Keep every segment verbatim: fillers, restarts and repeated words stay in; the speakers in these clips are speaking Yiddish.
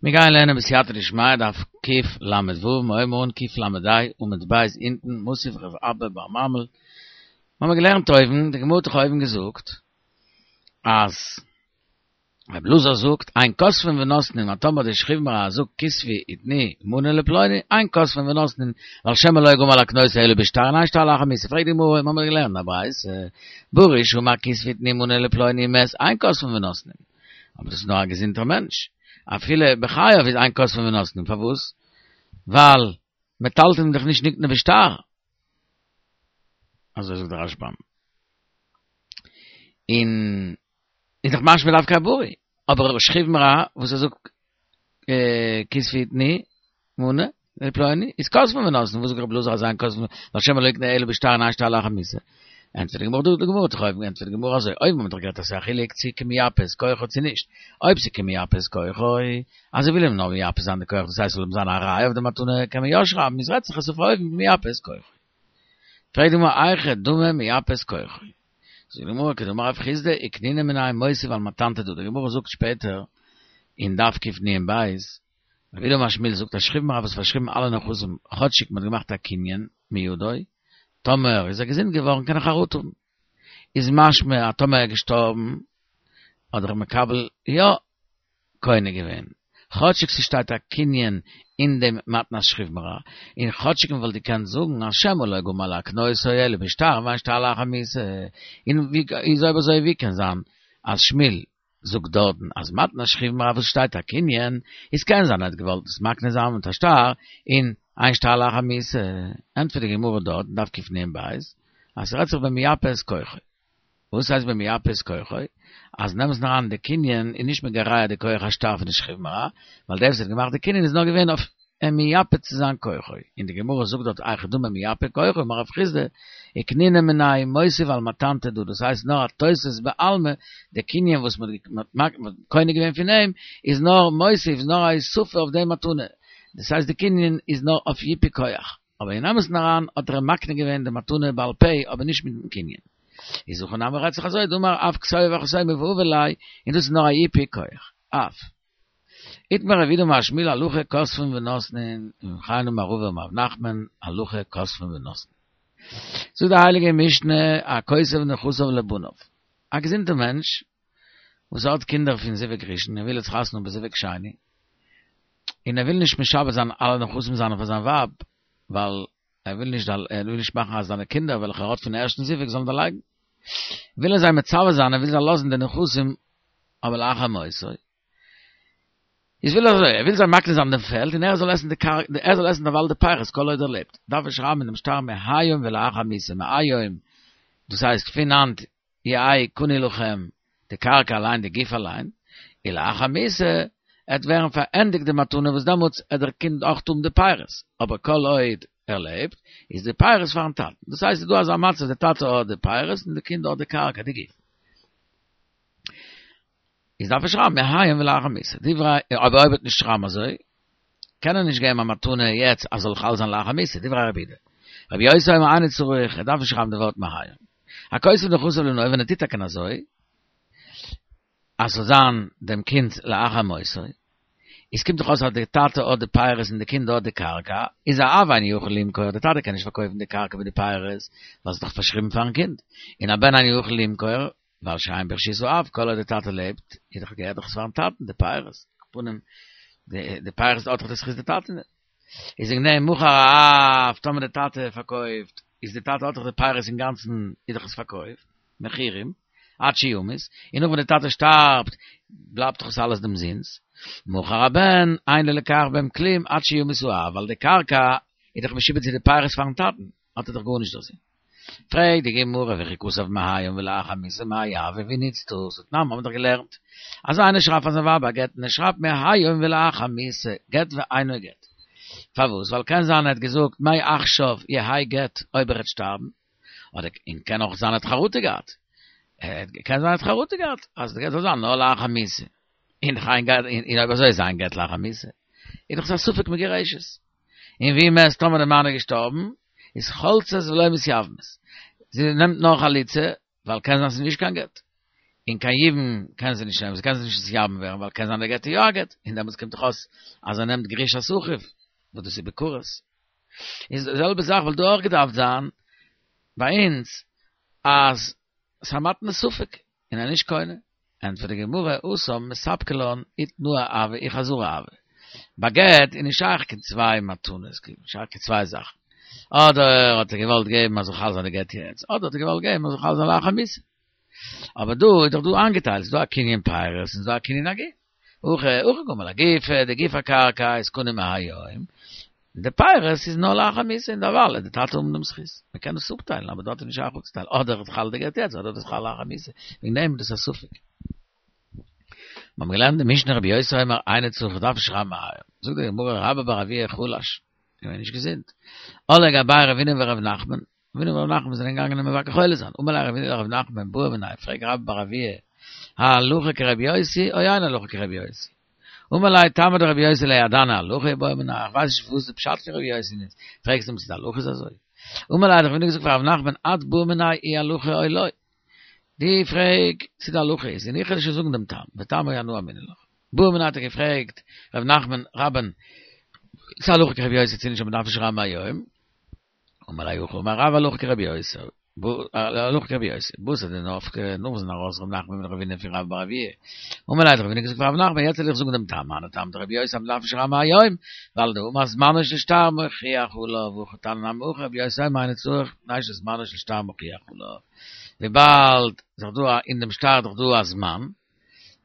מיר גייען לערנען בסייעתא דשמיא דף קל"ו, מיר הייבן אן קל"ה עמוד ב' אונטן, מתיב רב אבא בר ממל. מיר האבן געלערנט אויבן, די גמרא האט דאך אויבן געזאגט אז רבי אלעזר זאגט אין כותבין ונותנין, אז טאמער די שכיב מרע זאגט כתבי ותני מנה לפלוני, אין כותבין ונותנין, ווייל שמא לא גמר להקנותו אלא בשטר און אין שטר לאחר מיתה. פרעגט די גמרא, מיר האבן געלערנט א ברייתא, בריא שאמר כתבי ותני מנה לפלוני ומת, אין כותבין ונותנין. אבער דאס איז נאר א געזונטער מענטש. אפילו בחייו איז אין כותבין ונותנין, פארוואס? ווייל מטלטלין דאך נישט נקנה בשטר. אזוי זאגט דער רשב"ם. און איז דאך משמע דווקא א בריא, אבער שכיב מרע וואס ער זאגט כתבי ותני מנה לפלוני איז כותבין ונותנין, וואס זאגט רבי אלעזר אז אין כותבין ווייל שמא לא יקנה אלא בשטר און אין שטר לאחר מיתה. ענטפערט די גמרא דא, די גמרא האט דאך אויבן געענטפערט די גמרא אזוי, אויבן האט מען דאך גערעדט אז ס'איז א חילוק צו כמייפה את כוחו צו נישט, אויב ס'איז כמייפה את כוחו, אז ער וויל אים נאר מייפה זיין די כח דאס הייסט ס'זאל אים זיין א ראיה אויף די מתנה קען מען יא שרייבן, איז רעדט זיך עס אויף אויבן כמייפה את כוחו. פרעגט די גמרא היכי דמי מייפה את כוחו. זאגט די גמרא כדאמר רב חסדא וקנינא מיניה מוסיף על מתנתא דא, די גמרא זאגט שפעטער אין דף קנ"ב, רב יהודה אמר שמואל זאגט אז שכיב מרע וואס פארשריבן אלע נכסים כאטשיג מ'האט געמאכט א קנין מידו, טאמער איז ער געזונט געווארן קען ער חרטה האבן. איז משמע אז טאמער ער איז געשטארבן האט דער מקבל יא קונה געווען, כאטשיג ס'שטייט א קנין אין דעם מתנת שכיב מרע, און כאטשיג מ'וואלט געקענט זאגן אז שמא לא גמר להקנותו אלא בשטר ואין שטר לאחר מיתה, און ווי איז אויב אזוי ווי קען זיין אז שמואל זאגט דארטן אז מתנת שכיב מרע וואס שטייט א קנין, איז קען זיין ער האט געוואלט עס מקנה זיין מיט א שטר, און אין שטר לאחר מיתה, ענטפערט די גמרא דארט אין דף קנ"ב, אז ס'רעדט זיך במייפה את כוחו. וואס הייסט במייפה את כוחו? אז אין אמת'ן אריין די קנין איז נישט מגרע די כח השטר פון די שכיב מרע, ווייל דער וואס האט געמאכט די קנין איז נאר געווען אויף אים מייפה צו זיין כוחו, און די גמרא זאגט דארט היכי דמי מייפה כוחו אמר רב חסדא וקנינא מיניה מוסיף על מתנתא דא, דאס הייסט נאר א תוספת בעלמא, די קנין וואס מען האט קונה געווען פון אים איז נאר מוסיף, איז נאר א הוספה אויף די מתנה, דאס הייסט די קנין איז נאר אויף ייפוי כח, אבער אין אמת'ן אריין האט ער אים מקנה געווען די מתנה בעל פה אבער נישט מיטן קנין. איז הכא נמי רעדט זיך אזוי דאמר אף כתובי וחתומי והבי ליה, און דאס איז נאר א ייפוי כח, אף. איתמר רב יהודה אמר שמואל הלכה כותבין ונותנין, וכן אמר רבא אמר רב נחמן הלכה כותבין ונותנין. זאגט די הייליגע משנה הכותב נכסיו לבניו, א געזונטע מענטש וואס האט קינדער פון זיווג ראשון און וויל יעצט חתונה האבן בזיווג שני, און ער וויל נישט משעבד זיין אלע נכסים זיינע פאר זיין ווייב, ווייל ער וויל נישט ער וויל נישט מאכן אז זיינע קינדער וועלכע ער האט פון ערשטן זיווג זאלן דערלייגן, וויל ער זיי מצווה זיין ער וויל זיי לאזן די נכסים אבער לאחר מותו. איז וויל ער אזוי, ער וויל זיי מקנה זיין דעם פעלד און ער זאל עסן די קרקע, ער זאל עסן דערווייל די פירות כל עוד ער לעבט, דארף ער שרייבן אין דעם שטר מהיום ולאחר מיתה, מהיום, דאס הייסט פון היינט יהא קנוי לכם, די קרקע אליין, די גוף אליין, ולאחר מיתה, עט ווערן פארענדיגט די מתנה וואס דעמאלטס עט דער קינד אויך האבן די פירות, אבער כל עוד ער לעבט, איז די פירות פארן טאטן, דאס הייסט ס'איז דא אזא מצב די טאטע האט די פירות און די קינד האט די קרקע, די גוף. איז דארף ער שרייבן מהיום ולאחר מיתה. דברי, אבער אויב ער וועט נישט שרייבן אזוי, קען ער נישט געבן א מתנה יעצט אז זאל חל זיין לאחר מיתה, דברי רבי יהודה. רבי יוסי אומר אינו צריך, ער דארף נישט שרייבן די ווארט מהיום. הכותב נכסיו לבנו, ווען ער טוט טאקע אזוי, אז ס'זאל זיין דעם קינד'ס לאחר מותו, איז קומט דאך אויס אז די טאטע האט די פירות און די קינד האט די קרקע, איז האב אינו יכול למכור, די טאטע קען נישט פארקויפן די קרקע מיט די פירות, ווייל ס'איז דאך פארשריבן פארן קינד, און הבן אינו יכול למכור, ווייל שהן ברשות האב, כל עוד די טאטע לעבט, איז דאך געהערט דאך עס פארן טאטן, די פירות, על כל פנים, די פירות האט דאך די זכות די טאטע. איז וועגן דעם מכר האב, טאמער די טאטע פארקויפט, איז די טאטע האט דאך די פירות אינגאנצן, איז דאך עס פארקויפט, מכורים, עד שימות, און נאך ווען די טאטע שטארבט, בלייבט דאך עס אלעס דעם זון'ס. מכר הבן, אין ללוקח בהם כלום עד שימות האב, ווייל די קרקע איז דאך משועבד צו די פירות פארן טאטן, האט ער דאך גארנישט דערזין. פרעגט די גמרא וכי כתב מהיום ולאחר מיתה מאי הוי ווי נוצט דאס? תנן האבן מיר דאך געלערנט אז איינער שרייבט פאר זיין ווייב א גט און ער שרייבט מהיום ולאחר מיתה גט ואינו גט. פארוואס? ווייל קען זיין ער האט געזאגט מעכשיו יהא גט אויב ער וועט שטארבן, אדער און קען אויך זיין ער האט חרטה געהאט, קען זיין ער האט חרטה געהאט אז די גט זאל זיין נאר לאחר מיתה, און און אויב אזוי איז אין גט לאחר מיתה, איז דאך עס א ספק מגורשת. און והוא מת טאמער די מאן איז געשטארבן, איז חולצות ולא מתייבמות. זי נעמט נאר חליצה, ווייל קען זיין ס'איז נישט קיין גט. און קיין יבום קען זי נישט נעמען, זי קען זיך נישט נתייבם ווערן, ווייל קען זיין ער געט איר יא א גט, און דעמאלטס קומט דאך אויס אז ער נעמט גרושת אחיו, וואס דאס איז בכרת. איז די זעלבע זאך וואלט דא אויך געדארפט זיין ביי אונז, אז ס'איז א מתנת ספק, און ער איז נישט קונה. ענטפערט די גמרא, התם מספקא לן אי תנאה הוי אי חזרה הוי. ביי גט איז נישט שייך קיין צוויי מתנות, נישט שייך קיין צוויי זאכן. אדער האט ער געוואלט געבן אז זאל חל זיין די גט יעצט, אדער האט ער געוואלט געבן אז זאל חל זיין לאחר מיתה. אבער דא איז דאך דא איינגעטיילט, ס'איז דא א קנין פירות און ס'איז דא א קנין הגוף. הכא הכא קאמר לגופא, די גוף הקרקע איז קנוי מהיום, און די פירות איז נאר לאחר מיתה און דערווייל וועט די טאטע האבן דעם זכות. מען קען עס אפטיילן אבער דארט איז נישט שייך אפצוטיילן, אדער איז חל די גט יעצט אדער איז חל לאחר מיתה, וועגן דעם איז דאס א ספק. מיר האבן געלערנט די משנה רבי יוסי אומר אינו צריך דארף נישט שרייבן מהיום, זאגט די גמרא רבה בר אבוה חלש, געווען נישט געזונט, על ליה גביה רבינא ורב נחמן, רבינא ורב נחמן זענען געגאנגען אים מבקר חולה זיין, אמר ליה רבינא לרב נחמן בעי מיניה, פרעג רבה בר אבוה, הלכה כרבי יוסי או אין הלכה כרבי יוסי? אמר ליה טעמא דרבי יוסי לא ידענא הלכה בעי מינך, איך ווייס נישט וואס די פשט פון רבי יוסי איז, פרעגסט אים צו די הלכה איז אזוי? אמר ליה האט רבינא געזאגט פאר רב נחמן את בעי מיניה אי הלכה או לא, דו פרעג צו די הלכה איז, און איך וועל דיר שוין זאגן דעם טעם, וטעמא אנא אמינא לך. בעי מיניה האט ער געפרעגט ר' נחמן רבה'ן צו הלכה כרבי יוסי צו נישט אז מ'דארף נישט שרייבן מהיום, אמר ליה הכי אמר רב הלכה כרבי יוסי, הלכה כרבי יוסי, בתר דנפקי, נאך זענען ארויס ר' נחמן מיט רבינא פון רבה בר אבוה, אמר ליה האט רבינא געזאגט פאר ר' נחמן יעצט וועל איך זאגן דעם טעם, היינו טעמא דרבי יוסי אז מ'דארף נישט שרייבן מהיום, ווייל דאמר זמנו של שטר מוכיח עליו, והכא תניא נמי הכי רבי יוסי אומר אינו צריך מפני שזמנו של שטר מוכיח עליו, וויבאלד ס'איז דאך דא אין דעם שטר איז דאך דא א זמן,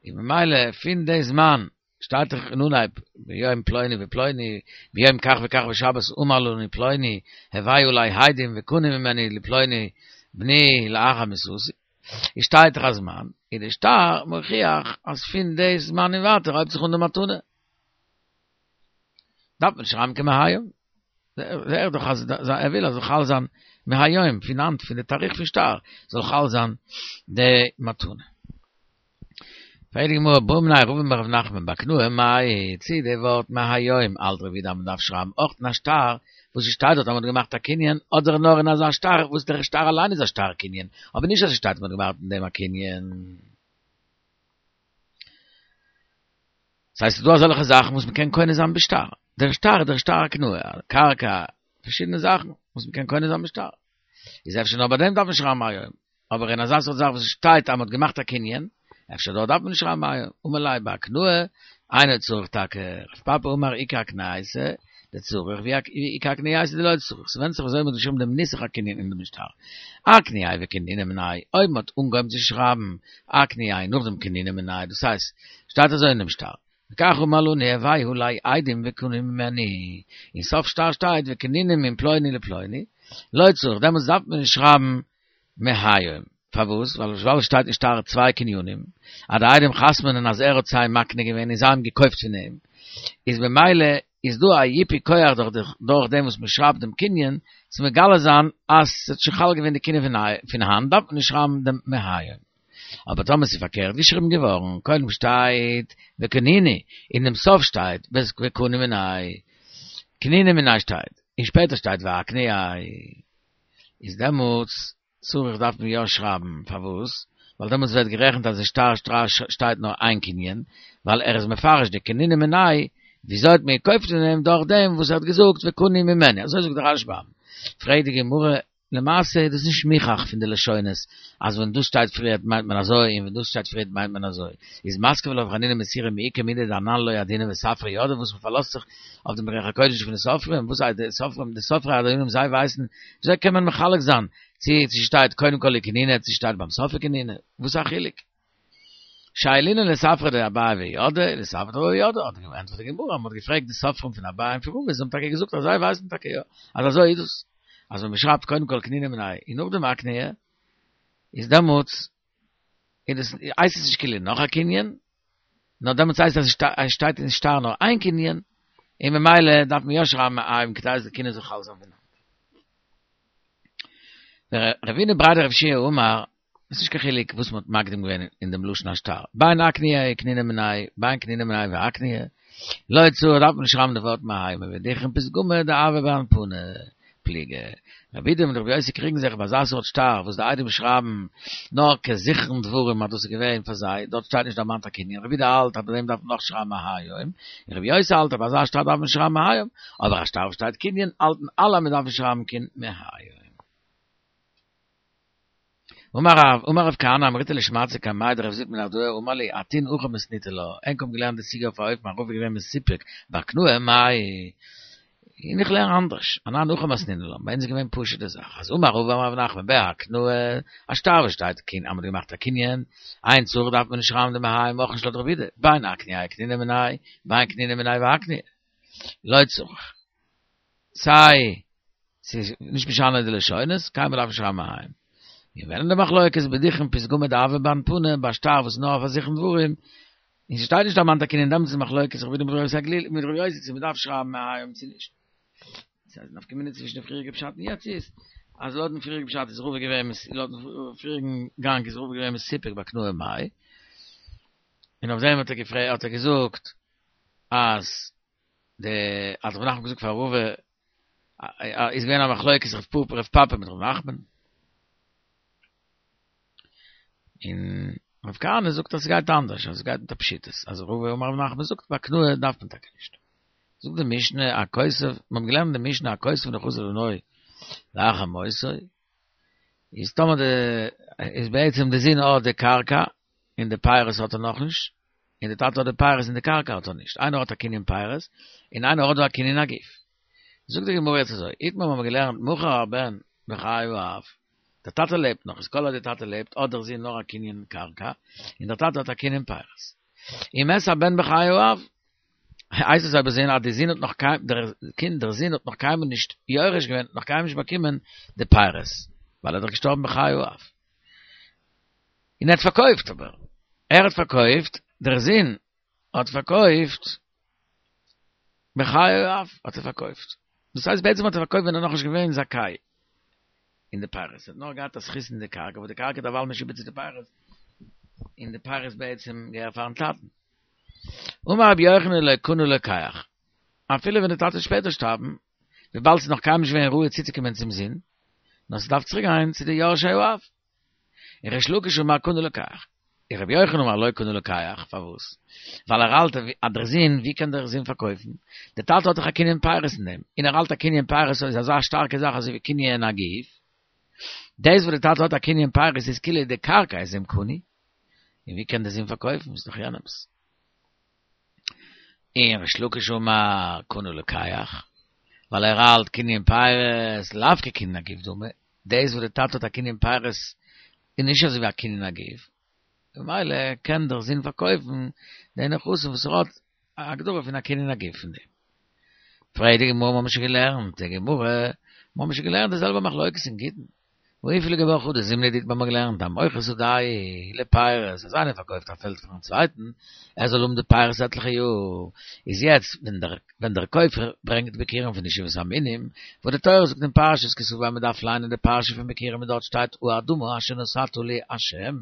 און ממילא פון די זמן שטייט דאך אין אנהייב ביום פלוני ופלוני ביום כך וכך בשבת אמר לנו פלוני הביאו עלי עדים וקנו ממני לפלוני בני לאחר מיתתי איז שטייט דאך א זמן איז די שטר מוכיח אז פון די זמן און ווייטער הויבט זיך אן די מתנה דארף מען נישט שרייבן קיין מהיום זעה איך דאך אז ער וויל אז זאל חל זיין מהיום פון היינט פון די תאריך פון שטר זאל חל זיין די מתנה. פרעגט די גמרא בעא מיניה רבא מרב נחמן בהקנאה מאי, צי די ווארט מהיום האלט רבי יהודה אז מען דארף שרייבן אויך אין א שטר וואס עס שטייט דארט אז מען האט געמאכט א קנין אדער נאר אין אזא שטר וואס דער שטר אליין איז א שטר קנין אבער נישט אז עס שטייט אז מען האט געמאכט אין דעם א קנין. ס'הייסט ס'איז דא אזעלכע זאכן וואס מ'קען קונה זיין בשטר, דער שטר איז דער שטר הקנאה, קרקע, פארשידענע זאכן וואס מ'קען קונה זיין בשטר. איז אפשר נאר ביי דעם דארף מען שרייבן מהיום, אבער אין אזא סארט זאך וואס עס שטייט אז מ'האט געמאכט א קנין, אפשר דארט דארף מען נישט שרייבן מהיום. אמר ליה בהקנאה, אינו צריך טאקע, רב פפא אמר איכא הקנייתא דצריך ואיכא הקנייתא דלא צריך, ס'ווענדט זיך וויאזוי מ'האט געשריבן דעם נוסח הקנין אין דעם שטר. אקנייה וקנינא מיניה, אויב מ'האט אנגעהויבן צו שרייבן אקנייה נאכדעם קנינא מיניה, דאס הייסט, שטייט אזוי אין דעם שטר, וכך אמר לנו הביאו עלי עדים וקנו ממני, אין סוף שטר שטייט וקנינא מן פלוני לפלוני, לא צריך, דעמאלטס דארף מען נישט שרייבן מהיום, פארוואס? ווייל ווייל עס שטייט אין שטר צוויי קנינים, אז די עדים חתמ'נען אז ער האט זיי מקנה געווען און זיי האבן געקויפט פון אים, איז ממילא איז דא א ייפוי כח דורך דורך דעם וואס מען שרייבט דעם קנין, צו מגלה זיין אז ס'האט שוין חל געווען די קנין פון היינט דארף מען נישט שרייבן דעם מהיום. אבער טאמער ס'איז פארקערט געשריבן געווארן, קודם שטייט וקנינו, און דעם סוף שטייט וקנו מיניה, קנינא מיניה שטייט, און שפעטער שטייט ואקנייה, איז דעמאלטס צריך דארף מען יא שרייבן, פארוואס? ווייל דעמאלטס ווערט גערעכנט אז אין שטר שטייט נאר איין קנין, ווייל ער איז מפרש די קנינא מיניה, וויאזוי האט מען געקויפט פון אים דורך דעם וואס ער האט געזאגט וקנו ממני, אזוי זאגט דער רשב"ם. פרעגט די גמרא, למעשה איז דאס נישט מוכח פון די לשונות אז ווען דאס שטייט פריערט מיינט מען אזוי און ווען דאס שטייט פריערט מיינט מען אזוי, איז מתקיף לה רב חנינא מסורא מי איכא מידי דאנן לא ידעינן וספרי ידעי וואס מען פארלאזט זיך אויף דעם רוח הקודש פון די סופרים, וואס הייסט די סופרים, די סופרי הדיינים זיי ווייסן, וויאזוי קען מען מחלק זיין צו צו שטייט קודם כל וקנינא צו שטייט ביים סוף וקנינא, וואס איז א חילוק? שיילינן לספרי דאביי וידעי, לספרי דרבא וידעי, האט געענטפערט די גמרא, מען האט געפרעגט די סופרים פון אביי און פון רבא, זיי האבן טאקע געזאגט אז זיי ווייסן טאקע יא, אז אזוי איז דאס, אז ווען מען שרייבט קודם כל קנינא מיניה און נאכדעם אקנייה, איז דעמאלטס איז דאס הייסט עס נישט כאילו נאך א קנין, נאר דעמאלטס הייסט אז עס שטייט אין שטר נאר איין קנין, און ממילא דארף מען יא שרייבן מהיום כדי אז די קנין זאל חל זיין פון היינט. רבינא בריה דרב יהושע אמר, עס איז נישט קיין חילוק וואס מען האט מקדים געווען אין דעם לשון השטר, בין אקנייה וקנינא מיניה, בין קנינא מיניה ואקנייה, לא צריך דארף מען נישט שרייבן די ווארט מהיום, ודכרין פתגמא דהוה באנפנא, פליגי. רבי יהודה מיט רבי יוסי קריגן זיך ביי אזא סארט שטר וואס די עדים שרייבן נאר כזכרון דברים אז דאס איז געווען פאר זיי, דארט שטייט נישט דערמאנט א קנין, רבי יהודה האלט אז ביי דעם דארף מען נאך שרייבן מהיום, און רבי יוסי האלט אז ביי אזא שטר דארף מען שרייבן מהיום, אבער א שטר וואס שטייט קנין האלטן אלע אז מען דארף נישט שרייבן קיין מהיום. אמר רב, אמר רב כהנא אמריתה לשמעתתא קמיה דרב זביד מנהרדעא אמר לי, אתון הכי מתניתו לה, ענק האבן געלערנט די סוגיא אויף א אופן אז רבא איז געווען מסופק בהקנאה מאי, און איך לערן אנדערש, אנן הכי מתנינן לה, ביי אונז איז געווען פשוט די זאך, אז אמר רבא אמר רב נחמן בהקנאה, א שטר וואס שטייט קנין אז מ'האט געמאכט א קנין, אין צריך דארף מען נישט שרייבן די מהיום אויך נישט לויט רבי יהודה, בין אקנייה אקניניה מיניה, בין קניניה מיניה ואקנייה, לא צריך. סיי ס'איז נישט משנה די לשונות, קיינמאל דארף נישט שרייבן מהיום. און ווען אין די מחלוקת בדוכן פתגמא דהוה באנפנא ביי א שטר וואס איז נאר אויף א זכרון דברים, און ס'שטייט נישט דערמאנט א קנין דעמאלטס איז מחלוקת רבי יהודה מיט רבי יוסי הגלילי מיט רבי יוסי צו מ'דארף שרייבן מהיום צו נישט. ס'איז נפקא מינה צווישן די פריעריגע פשט און יעצט איז אז לויטן פריעריגן פשט איז רבא געווען לויטן פריעריגן גאנג איז רבא געווען מסופק בהקנאה מאי, און אויף דעם האט ער געפרעגט האט ער געזאגט אז די האט רב נחמן געזאגט פאר רבא איז געווען א מחלוקת רב פפא רב פפא מיט רב נחמן און רב כהנא זאגט אז ס'גייט אנדערש אז ס'גייט מיט א פשיטות אז רבא אמר רב נחמן זאגט בהקנאה דארף מען טאקע נישט זאגט די משנה הכותב מ'האט געלערנט די משנה הכותב נכסיו לבנו לאחר מותו איז טאמער די איז בעצם די זון האט די קרקע און די פירות האט ער נאכנישט און די טאטע האט די פירות און די קרקע האט ער נישט, איינער האט א קנין פירות און איינער האט דא א קנין הגוף. זאגט די גמרא יעצט אזוי, איתמר האבן מיר געלערנט מכר הבן בחיי האב, דער טאטע לעבט נאך, איז כל עוד די טאטע לעבט האט דער זון נאר א קנין קרקע, און דער טאטע האט א קנין פירות. ומת הבן בחיי האב, הייסט עס אויב אזוי אז די זון האט נאך קיין, דער קינד, דער זון האט נאך קיינמאל נישט יורש געווען, נאך קיינמאל נישט באקומען די פירות, ווייל ער איז דאך געשטארבן בחיי האב. און ער האט פארקויפט אבער ער האט פארקויפט דער זון האט פארקויפט בחיי האב האט ער פארקויפט דאס הייסט בעצם האט ער פארקויפט ווען ער נאכנישט געווען זכאי אין די פירות ער האט נאר געהאט א זכות אין די קרקע אבער די קרקע איז דערווייל משועבד צו די פירות און די פירות בעצם געהער פארן טאטן אמר רבי יוחנן לא קנה לוקח אפילו ווען די טאטע וועט שפעטער שטארבן וויבאלד ס'איז נאך קיינמאל נישט געווען ראוי צוצוקומען צום זון נאר ס'דארף צוריק גיין צו די יורשי האב און ריש לקיש אמר קנה לוקח. און רבי יוחנן אמר לא קנה לוקח, פארוואס? ווייל ער האלט אז דער זון, ווי קען דער זון פארקויפן? דער טאטע האט דאך א קנין פירות אין דעם, און ער האלט א קנין פירות איז אזא שטארקע זאך אזוי ווי קנין הגוף. דאס וואס דער טאטע האט א קנין פירות איז כאילו די קרקע איז אים קנוי, און ווי קען דער זון פארקויפן? ס'איז דאך יענעמ'ס. און ריש לקיש אמר קנה לוקח, ווייל ער האלט קנין פירות לאו כקנין הגוף דמי, דאס וואס די טאטע האט א קנין פירות איז נישט אזוי ווי א קנין הגוף, ממילא קען דער זון פארקויפן די נכסים וואס ער האט א הגדרה פון א קנין הגוף פון דעם. פרעגט די גמרא, מ'האמיר שוין געלערנט די גמרא, מ'האמיר שוין געלערנט די זעלבע מחלוקת אין גיטין, והא איפלגי בה חדא זימנא דאיתמר מ'האט געלערנט המוכר שדהו לפירות אז איינער פארקויפט א פעלד פארן צווייטן ער זאל האבן די פירות עטליכע יאר איז יעצט ווען דער ווען דער קויפער ברענגט ביכורים פון די שבעת המינים וואס די תורה זאגט אין פרשת כי תבוא אז מען דארף ליינען די פרשה פון ביכורים און דארט שטייט האדמה אשר נתתה לי השם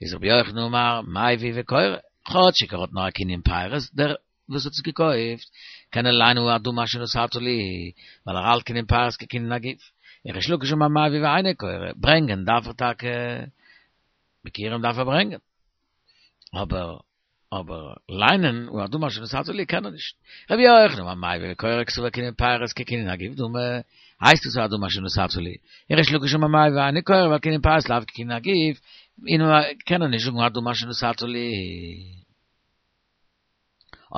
איז רבי יוחנן אמר מביא וקורא כאטשיג ער האט נאר א קנין פירות דער וואס האט עס געקויפט, קען ער ליינען האדמה אשר נתתה לי, ווייל ער האלט קנין פירות כקנין הגוף. און ריש לקיש אמר מביא ואינו קורא, ברענגען דארף ער טאקע, ביכורים דארף ער ברענגען, אבער אבער ליינען האדמה אשר נתתה לי קען ער נישט. רבי יוחנן אמר מביא וקורא קסבר קנין פירות כקנין הגוף דמי, הייסט עס האדמה אשר נתתה לי. און ריש לקיש אמר מביא ואינו קורא ווייל קנין פירות לאו כקנין הגוף, און קען ער נישט זאגן האדמה אשר נתתה לי.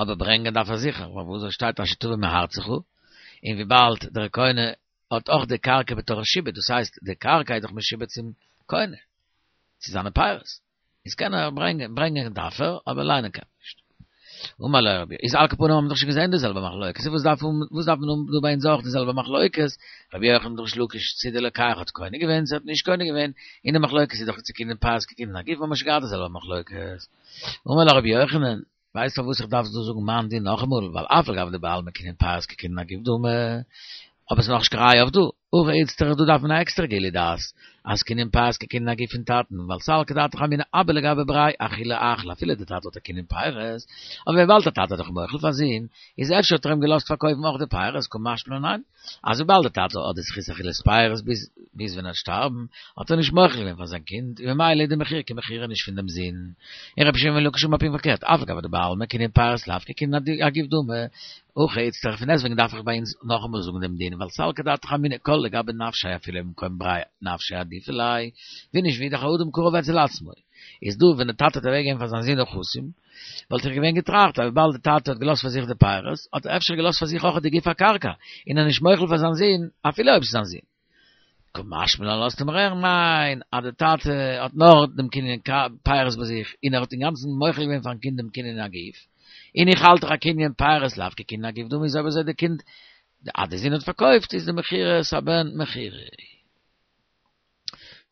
אבער ברענגען דארף ער זיכער, ווייל וואס דארט שטייט אשר תביא מארצך, און וויבאלד דער קונה האט אויך די קרקע בתור שעבוד, דאס הייסט די קרקע איז דאך משועבד צום קונה, צו זיינע פירות, איז קען ער ברענגען, ברענגען דארף ער, אבער ליינען קען ער נישט. אמר לו רבי, איז על כל פנים האבן מיר דאך שוין געזען די זעלבע מחלוקת, וואס דארף וואס דארף מען האבן דא ביי אונז אויך די זעלבע מחלוקת, רבי יוחנן ריש לקיש צו די לוקח האט קונה געווען צו האט נישט קונה געווען, און די מחלוקת איז דאך צו קנין פירות כקנין הגוף האבן מיר שוין געהאט די זעלבע מחלוקת. אמר לו רבי יוחנן, ווייסט פארוואס איך דארף דא זאגן מיין דין נאכאמאל, ווייל אף על גב דבעלמא קנין פירות כקנין הגוף דמי, אבער ס'איז נאכנישט קיין ראיה אויף דא, אויך איצטער דא דארף מען א עקסטערע גילוי דעת, אז קנין פירות כקנין הגוף פון טאטן, ווייל סלקא דעתך אמינא אבא לגבי בריה אחולי אחיל אפילו די טאטע האט א קנין פירות, אבער וויבאלד די טאטע האט דאך מוחל פאר זון, איז אפשר האט ער אים געלאזט פארקויפן אויך די פירות, קא משמע לן ניין, אז וויבאלד די טאטע האט די זכות אכילת פירות ביז ביז ווען ער וועט שטארבן, האט ער נישט מוחל געווען פאר זיין קינד, און ממילא איז די מכירה כמכירה נישט פון דעם זון. און רבי שמעון בן לקיש אמר פונקט פארקערט, אף על גב דבעלמא קנין פירות לאו כקנין הגוף דמי, הכא איצטער פון דעסטוועגן דארף איך ביי אונז נאכאמאל זאגן דעם דין, ווייל סלקא דעתך אמינא כל לגבי נפשיה אפילו במקום בריה נפשיה עדיפא ליה, ווי נישט ווי דאך אדם קרוב אצל עצמו. איז דא ווען די טאטע האט אוועקגעגעבן פאר זיין זון נכסים, וואלט איך געווען געטראכט אז וויבאלד די טאטע האט געלאזט פאר זיך די פירות, האט ער אפשר געלאזט פאר זיך אויך די גוף הקרקע, און ער איז נישט מוחל פאר זיין זון אפילו אויב ס'איז זיין זון. קא משמע לן לאזט ער מיר הערן, ניין, אז די טאטע האט נאר דעם קנין פירות ביי זיך, און ער האט אינגאנצן מוחל געווען פארן קינד דעם קנין הגוף, און איך האלט דאך אז קנין פירות לאו כקנין הגוף דמי איז אויב אזוי די קינד, אז די זון האט פארקויפט איז די מכירת הבן מכירה.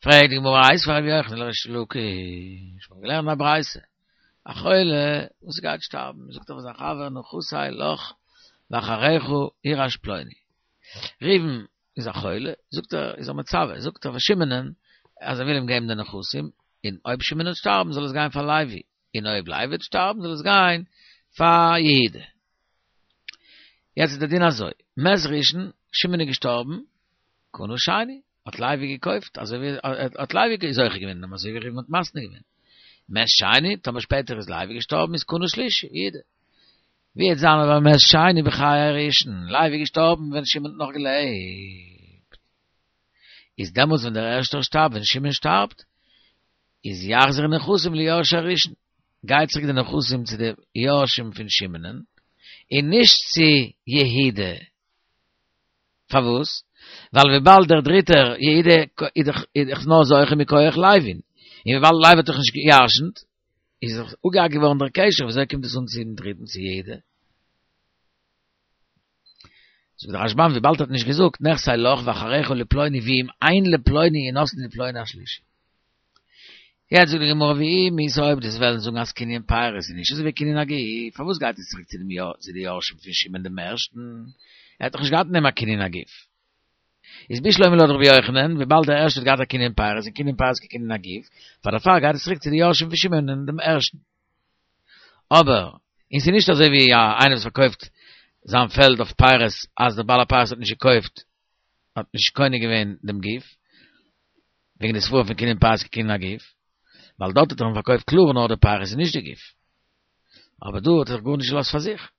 פרעגט די גמרא איתיביה רבי יוחנן לריש לקיש, מ'האט געלערנט א ברייתא, א חולה וואס גייט שטארבן, זאגט ער פאר זיין חבר נכסי לך ואחריך יירש פלוני. ראובן איז א חולה, זאגט ער, איז ער מצווה, זאגט ער פאר שמעונ'ען אז ער וויל אים געבן די נכסים, און אויב שמעון וועט שטארבן זאל עס גיין פאר לוי, און אויב לוי וועט שטארבן זאל עס גיין פאר יהודה. יעצט איז דער דין אזוי, מת ראשון, שמעון איז געשטארבן, קנה שני, האט לוי געקויפט, אזוי ווי האט לוי זוכה געווען אין דעם, אזוי ווי ראובן האט מתנה געווען. מת שני, טאמער שפעטער איז לוי געשטארבן איז קנה שלישי, יהודה. ווי וועט זיין אבער מת שני בחיי ראשון, לוי איז געשטארבן ווען שמעון האט נאך געלעבט. איז דעמאלטס ווען דער ערשטער שטארבט, ווען שמעון שטארבט, איז יחזיר נכסים ליורשי הראשון, גייט צוריק די נכסים צו די יורשים פון שמעונ'ען, און נישט צו יהודה. פארוואס? ווייל וויבאלד דער דריטער יהודה איז דאך נאר זוכה מכח לוי'ן, און וויבאלד לוי האט דאך נישט געירשנט, איז דאך אפגעהאקט געווארן דער קשר, וויאזוי קומט עס אן צום דריטן צו יהודה? זאגט דער רשב"ם וויבאלד ער האט נישט געזאגט נכסי לך ואחריך לפלוני ואם אין לפלוני ינתנו לפלוני השלישי. יעצט זאגט די גמרא ואי מיתא אויב דו'סט וועלן זאגן אז קנין פירות איז נישט אזוי ווי קנין הגוף, פארוואס גייט עס צוריק צו דעם צו די יורשים פון שמעון דעם ערשטן? ער האט דאך נישט געהאט אין דעם א קנין הגוף. איז בשלמא לויט רבי יוחנן, וויבאלד דער ערשטער האט געהאט א קנין פירות און קנין פירות כקנין הגוף, פאר דערפאר גייט עס צוריק צו די יורשים פון שמעון דעם ערשטן. אבער, און ס'איז נישט אזוי ווי איינער וואס פארקויפט זיין פעלד אויף פירות אז דער בעל הפירות האט נישט געקויפט, האט נישט קונה געווען דעם גוף, וועגן די סברא פון קנין פירות כקנין הגוף, ווייל דארט האט ער אים פארקויפט קלאר נאר די פירות און נישט די גוף. אבער דא האט ער זיך גארנישט געלאזט פאר זיך.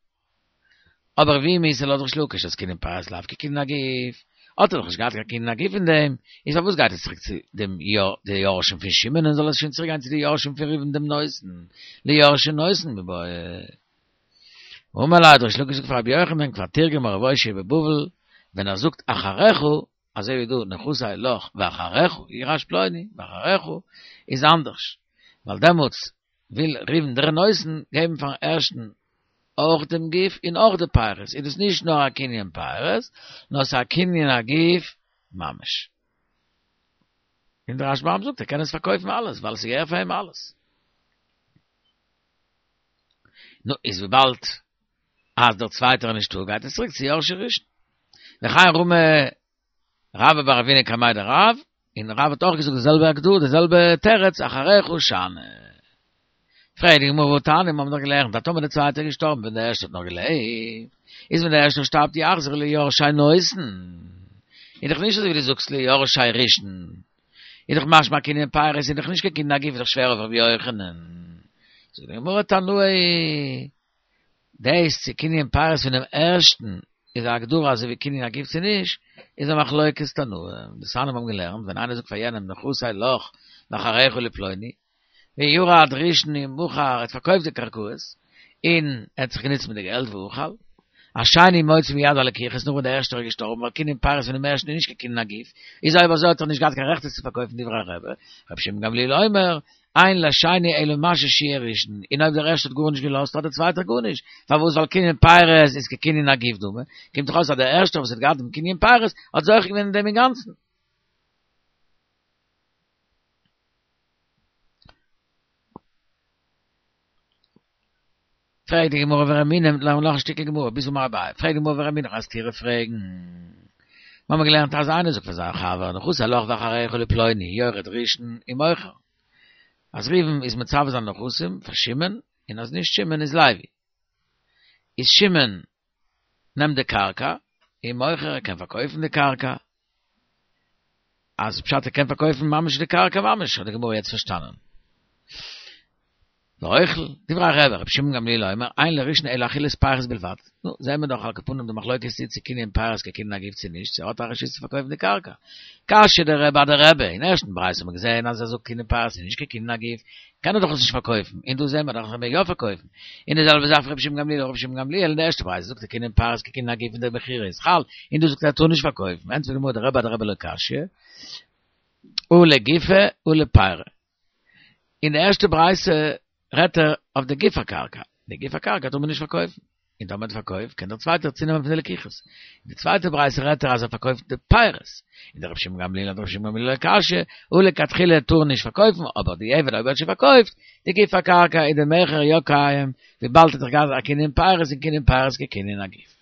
אבער ואי מיתא לויט ריש לקיש אז קנין פירות לאו כקנין הגוף, האט ער דאך נישט געהאט קיין קנין הגוף אין דעם, איז פארוואס גייט עס צוריק צו דעם די יורשים פון שמעון און זאל עס שוין צוריק גיין צו די יורשים פון ראובן דעם נותן, ליורשי נותן מיבעיא. אמר ליה האט ריש לקיש געזאגט פאר רבי יוחנן כבר תרגמה רב אושעיא בבבל, ווען ער זאגט אחריך, אזוי ווי דא נכסי לך ואחריך יירש פלוני, ואחריך איז אנדערש, ווייל דעמאלטס וויל ראובן דער נותן געבן פארן ערשטן אויך דעם גוף און אויך די פירות, איז דאס נישט נאר א קנין פירות, נאר ס'איז א קנין הגוף ממש. און דער רשב"ם זאגט ער קען עס פארקויפן אלעס ווייל עס געהערט פאר אים אלעס. נו, איז וויבאלד אז דער צווייטער איז נישטא גייט עס צוריק צו יורשי ראשון. וכן רמי רבה בר אבינא קמיה דרב, און רב האט אויך געזאגט די זעלבע הגדרה, די זעלבע תירוץ, אחריך שאני. פרעגט די גמרא והתניא, מיר האבן דאך געלערנט אז טאמער דער צווייטער איז געשטארבן ווען דער ערשטער האט נאך געלעבט, איז ווען דער ערשטער שטארבט יחזיר ליורשי נותן, איז דאך נישט אזוי ווי דו זאגסט ליורשי ראשון, איז דאך משמע קנין פירות איז דאך נישט קיין קנין הגוף איז דאך שווער אויף רבי יוחנן. זאגט די גמרא תנאי. דאס צו קנין פירות פונעם ערשטן איז א הגדרה אזוי ווי קנין הגוף צו נישט, איז א מחלוקת תנאים. דתניא מיר האבן געלערנט ווען איינער זאגט פאר יענעם נכסי לך ואחריך לפלוני, וירד ראשון ומכר ער האט פארקויפט די קרקעות און ער האט זיך גענוצט מיט די געלט ואכל, השני מוציא מיד הלקוחות נאך ווען דער ערשטער איז געשטארבן ווייל קנין פירות פונעם ערשטן איז נישט קיין קנין הגוף, איז אויב אזוי האט ער נישט געהאט קיין רעכט עס צו פארקויפן דברי רבי, רבי שמעון גמליאל אומר, אין לשני אלא מה ששיער ראשון, און אויב דער ערשטער האט גארנישט געלאזט האט דער צווייטער גארנישט, פארוואס ווייל קנין פירות איז כקנין הגוף דמי, קומט דאך אויס אז דער ערשטער וואס האט געהאט דעם קנין פירות האט זוכה געווען אין דעם אינגאנצן. פרעגט די גמרא ורמינהי, לערנען נאך א שטיקל גמרא, ביז אמר אביי, פרעגט די גמרא ורמינהי, א סתירה פרעגן. מיר האבן געלערנט אז איינער זאגט פאר זיין חבר, נכסי לך ואחריך לפלוני, יורד ראשון ומוכר. אז ראובן איז מצווה זיין נכסים פאר שמעון, און אז נישט שמעון איז לוי. איז שמעון נעמט די קרקע, ומוכר, ער קען פארקויפן די קרקע. אז פשט ער קען פארקויפן ממש די קרקע ממש, האט די גמרא יעצט פארשטאנען. ואוכל, דברי רבי, רבי שמעון גמליאל אומר, אין לראשון אלא אכילת פירות בלבד. נו, זעהן מיר דאך על כל פנים די מחלוקת איז צו קנין פירות כקנין הגוף צו נישט, צו ער האט א רשות צו פארקויפן די קרקע. קשיא דרבי אדרבי, אין ערשטן ברייתא האט מען געזעהן אז ער זאגט קנין פירות איז נישט כקנין הגוף, קען ער דאך עס נישט פארקויפן, און דא זעהן מיר דאך אז ער מעג יא פארקויפן. און די זעלבע זאך רבי שמעון גמליאל, רבי שמעון גמליאל אין די ערשטע ברייתא זאגט ער קנין פירות כקנין הגוף און די מכירה איז חל, און דא זאגט ער ער טאר נישט פארקויפן. ענטפערט די גמרא דרבי אדרבי לא קשיא, הא לגופא הא לפירא. אין די ערשטע ברייתא רעדט ער אויף די גוף הקרקע, די גוף הקרקע טאר מען נישט פארקויפן, און טאמער מען פארקויפט קען דער צווייטער צונעמען פון די לקיחות. אין די צווייטע ברייתא רעדט ער אז ער פארקויפט די פירות, און דרבי שמעון גמליאל אדרבי שמעון גמליאל לא קשיא, הא לכתחילה טאר נישט פארקויפן, אבער דיעבד אויב ער האט שוין פארקויפט די גוף הקרקע איז די מכר יא קיים, וויבאלד ער האט דאך געהאט א קנין פירות און קנין פירות כקנין הגוף.